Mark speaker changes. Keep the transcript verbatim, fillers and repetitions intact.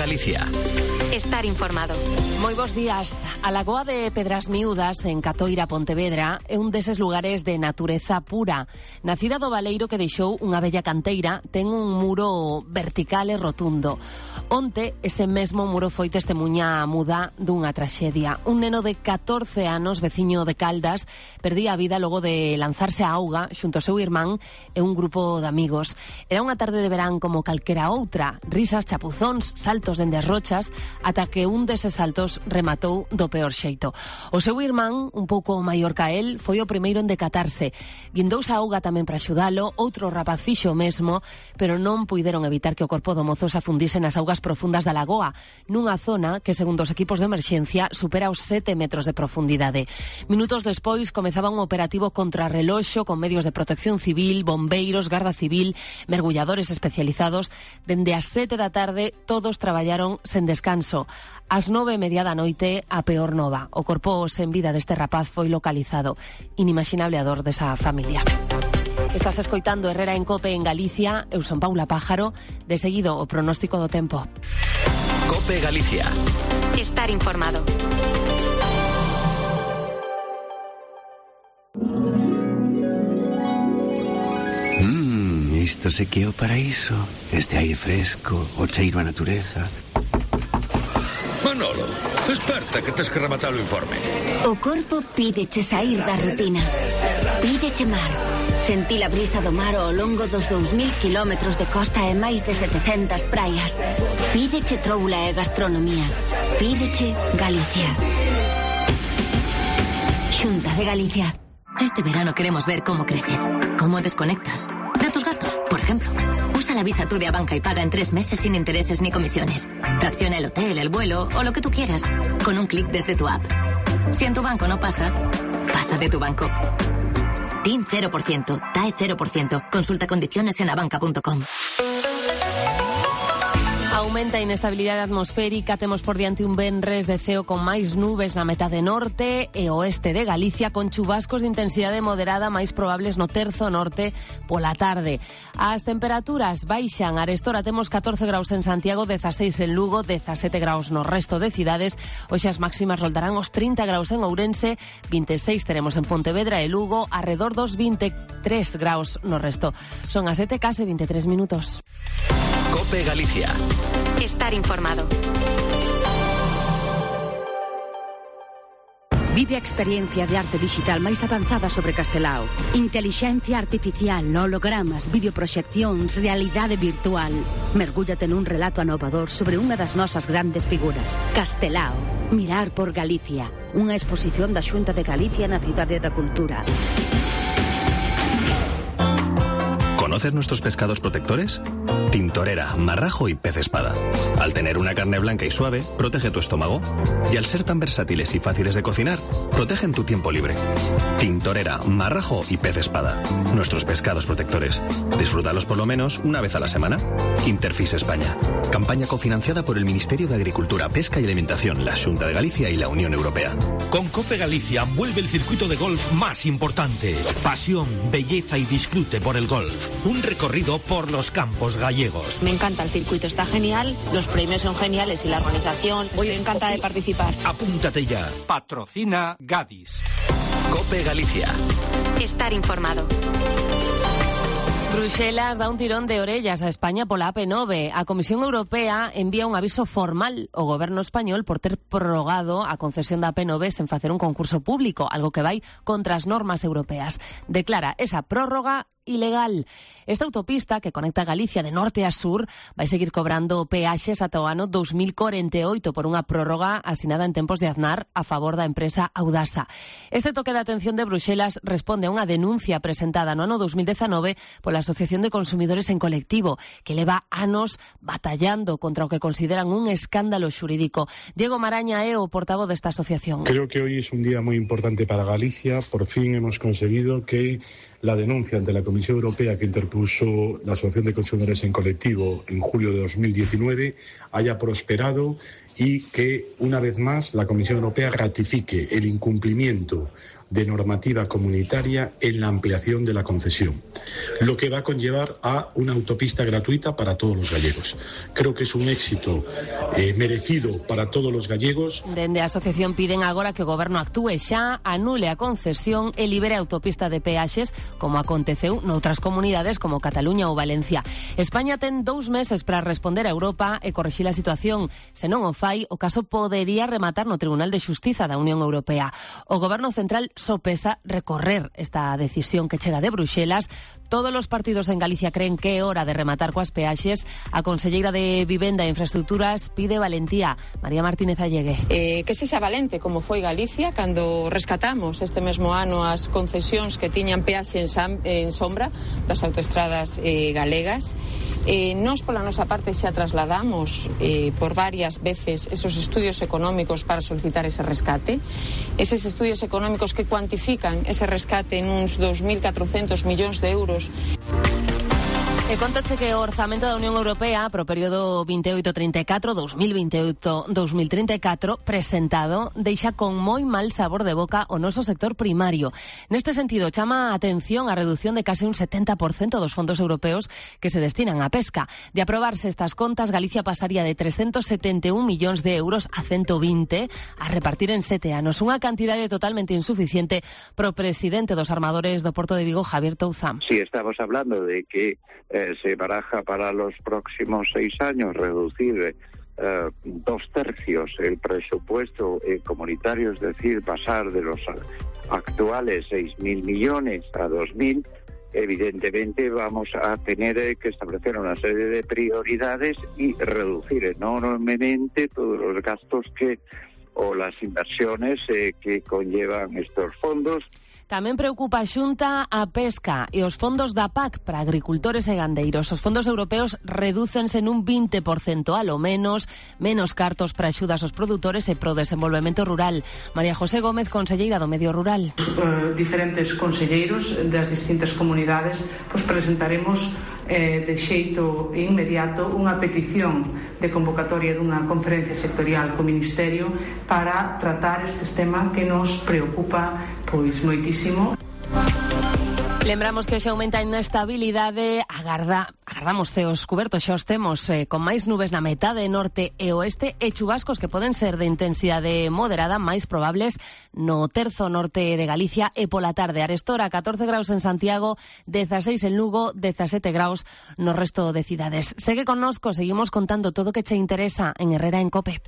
Speaker 1: Galicia.
Speaker 2: Estar informado.
Speaker 3: Moi bons días. A Lagoa de Pedras Miúdas, en Catoira, Pontevedra, é un deses lugares de natureza pura. Nacida do baleiro que deixou unha bella canteira, ten un muro vertical e rotundo. Onte, ese mesmo muro foi testemunha muda dunha traxedia. Un neno de catorce anos, veciño de Caldas, perdía a vida logo de lanzarse á auga xunto ao seu irmán e un grupo de amigos. Era unha tarde de verán como calquera outra. Risas, chapuzóns, saltos dende as rochas, ata que un deses saltos rematou do peor xeito. O seu irmán, un pouco maior ca el, foi o primeiro en decatarse. Guindouse a auga tamén para axudalo, outro rapaz fixo o mesmo, pero non puideron evitar que o corpo do mozo se afundise nas augas profundas da lagoa, nunha zona que, segundo os equipos de emerxencia, supera os sete metros de profundidade. Minutos despois comezaba un operativo contrarreloxo con medios de protección civil, bombeiros, garda civil, mergulladores especializados. Dende as sete da tarde todos traballaron sen descanso. Ás nove e media da noite, a peor nova. O corpo sen vida deste rapaz foi localizado. Inimaginable a dor desa familia. Estás escoitando Herrera en Cope en Galicia. Eu son Paula Pájaro. De seguido, o pronóstico do tempo.
Speaker 1: Cope Galicia.
Speaker 2: Estar informado.
Speaker 4: Mmm, isto se que é o paraíso. Este aire fresco, o cheiro a natureza.
Speaker 5: Manolo, desperta que tes que rematar o informe.
Speaker 6: O corpo pídeche sair da rutina. Pídeche mar. Sentir a brisa do mar ao longo dos dous mil kilómetros de costa e máis de setecentas praias. Pídeche troula e gastronomía. Pídeche Galicia. Xunta de Galicia.
Speaker 7: Este verano queremos ver cómo creces, cómo desconectas de tus gastos, por ejemplo. Usa la Visa Tú de Abanca y paga en tres meses sin intereses ni comisiones. Fracciona el hotel, el vuelo o lo que tú quieras con un clic desde tu app. Si en tu banco no pasa, pasa de tu banco. T I N cero por ciento, T A E cero por ciento. Consulta condiciones en abanca punto com.
Speaker 3: Aumenta a inestabilidade atmosférica, temos por diante un venres de ceo con máis nubes na metade norte e oeste de Galicia, con chubascos de intensidade moderada máis probables no terzo norte pola tarde. As temperaturas baixan. Arestora temos catorce graus en Santiago, dezaseis en Lugo, dezasete graus no resto de cidades. Hoxe as máximas roldarán os trinta graus en Ourense, vinte e seis teremos en Pontevedra e Lugo, arredor dos vinte e tres graus no resto. Son as sete case vinte e tres minutos.
Speaker 1: Cope Galicia.
Speaker 2: Estar informado.
Speaker 8: Vive a experiencia de arte digital máis avanzada sobre Castelao. Intelixencia artificial, hologramas, videoproxeccións, realidade virtual. Mergúllate nun relato anovador sobre unha das nosas grandes figuras. Castelao. Mirar por Galicia. Unha exposición da Xunta de Galicia na Cidade da Cultura.
Speaker 9: ¿Conoces nuestros pescados protectores? Tintorera, marrajo y pez espada. Al tener una carne blanca y suave, protege tu estómago. Y al ser tan versátiles y fáciles de cocinar, protegen tu tiempo libre. Tintorera, marrajo y pez espada. Nuestros pescados protectores. Disfrútalos por lo menos una vez a la semana. Interfis España. Campaña cofinanciada por el Ministerio de Agricultura, Pesca y Alimentación, la Xunta de Galicia y la Unión Europea.
Speaker 5: Con Cope Galicia vuelve el circuito de golf más importante. Pasión, belleza y disfrute por el golf. Un recorrido por los campos gallegos.
Speaker 10: Me encanta el circuito, está genial, los premios son geniales y la organización. Estoy encantada de participar.
Speaker 5: Apúntate ya. Patrocina Gadis.
Speaker 1: Cope Galicia.
Speaker 2: Estar informado.
Speaker 3: Bruxelas dá un tirón de orellas a España pola A P nove. A Comisión Europea envía un aviso formal ao goberno español por ter prorrogado a concesión da A P nove sen facer un concurso público, algo que vai contra as normas europeas. Declara esa prórroga ilegal. Esta autopista que conecta Galicia de norte a sur vai seguir cobrando peaxes ata o ano dos mil corenta e oito por unha prórroga asinada en tempos de Aznar a favor da empresa Audasa. Este toque de atención de Bruxelas responde a unha denuncia presentada no ano dos mil dezanove pola Asociación de Consumidores en Colectivo, que leva anos batallando contra o que consideran un escándalo xurídico. Diego Maraña é o portavoz desta asociación.
Speaker 11: Creo que hoy es un día muy importante para Galicia. Por fin hemos conseguido que la denuncia ante la Comisión Europea que interpuso la Asociación de Consumidores en Colectivo en julio de dos mil diecinueve haya prosperado y que, una vez más, la Comisión Europea ratifique el incumplimiento de normativa comunitaria en la ampliación de la concesión, lo que va a conllevar a una autopista gratuita para todos los gallegos. Creo que es un éxito eh, merecido para todos los gallegos.
Speaker 3: Dende a asociación piden agora que o goberno actúe xa, anule a concesión e libere a autopista de peaxes, como aconteceu noutras comunidades como Cataluña ou Valencia. España ten dous meses para responder a Europa e corrixir a situación. Se non o fai, o caso podería rematar no Tribunal de Xustiza da Unión Europea. O goberno central sopesa recorrer esta decisión que chega de Bruxelas. Todos os partidos en Galicia creen que é hora de rematar coas peaxes. A conselleira de Vivenda e Infraestructuras pide valentía. María Martínez Allegue.
Speaker 12: Eh, que sexa valente como foi Galicia cando rescatamos este mesmo ano as concesións que tiñan peaxe en, sam, en sombra das autoestradas eh, galegas. Eh, nos pola nosa parte xa trasladamos eh, por varias veces esos estudios económicos para solicitar ese rescate. Eses estudios económicos que cuantifican ese rescate en uns dos mil catrocentos millóns de euros.
Speaker 3: E contache que o orzamento da Unión Europea pro período veintiocho treinta e catro, dos mil veintiocho dos mil treinta e catro, presentado, deixa con moi mal sabor de boca o noso sector primario. Neste sentido, chama a atención a reducción de case un setenta por cento dos fondos europeos que se destinan á pesca. De aprobarse estas contas, Galicia pasaría de trescentos setenta e un millóns de euros a ciento vinte a repartir en sete anos. Unha cantidade totalmente insuficiente pro presidente dos armadores do Porto de Vigo, Javier Touzán.
Speaker 13: Sí, estamos hablando de que Eh, se baraja para los próximos seis años reducir eh, dos tercios el presupuesto eh, comunitario, es decir, pasar de los actuales seis mil millones a dos mil, evidentemente vamos a tener eh, que establecer una serie de prioridades y reducir enormemente todos los gastos que o las inversiones eh, que conllevan estos fondos.
Speaker 3: Tamén preocupa a Xunta a pesca e os fondos da P A C para agricultores e gandeiros. Os fondos europeos redúcense nun vinte por cento a lo menos, menos cartos para axudas aos produtores e pro desenvolvemento rural. María José Gómez, conselleira do Medio Rural.
Speaker 14: Uh, diferentes conselleiros das distintas comunidades pois presentaremos eh, de xeito inmediato unha petición de convocatoria dunha conferencia sectorial co Ministerio para tratar estes temas que nos preocupa pois moitísimo.
Speaker 3: Lembramos que hoxe aumenta a inestabilidade, agarda, agardamos ceos cubertos, xa os temos eh, con máis nubes na metade norte e oeste e chubascos que poden ser de intensidade moderada, máis probables no terzo norte de Galicia e pola tarde. Arestora, catorce graus en Santiago, dezaseis en Lugo, dezasete graus no resto de cidades. Segue connosco, seguimos contando todo o que che interesa en Herrera en Cope.